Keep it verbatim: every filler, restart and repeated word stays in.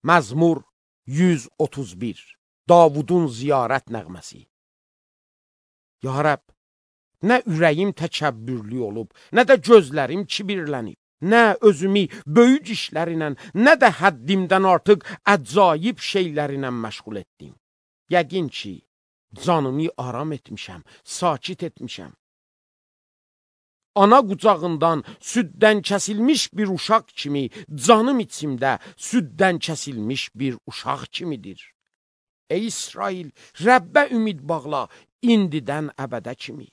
Məzmur yüz otuz bir. Davudun ziyarət nəğməsi. Ya Rəbb, nə ürəyim təkəbbürlü olub, nə də gözlərim kibirlənib, nə özümü böyük işlərinə, nə də həddimdən artıq əcaib şeylərinə məşğul etdim. Yəqin ki, canımı aram etmişəm, sakit etmişəm. Ana qucağından süddən kəsilmiş bir uşaq kimi, canım içimdə süddən kəsilmiş bir uşaq kimidir. Ey İsrail, Rəbbə ümid bağla, indidən əbədə kimi.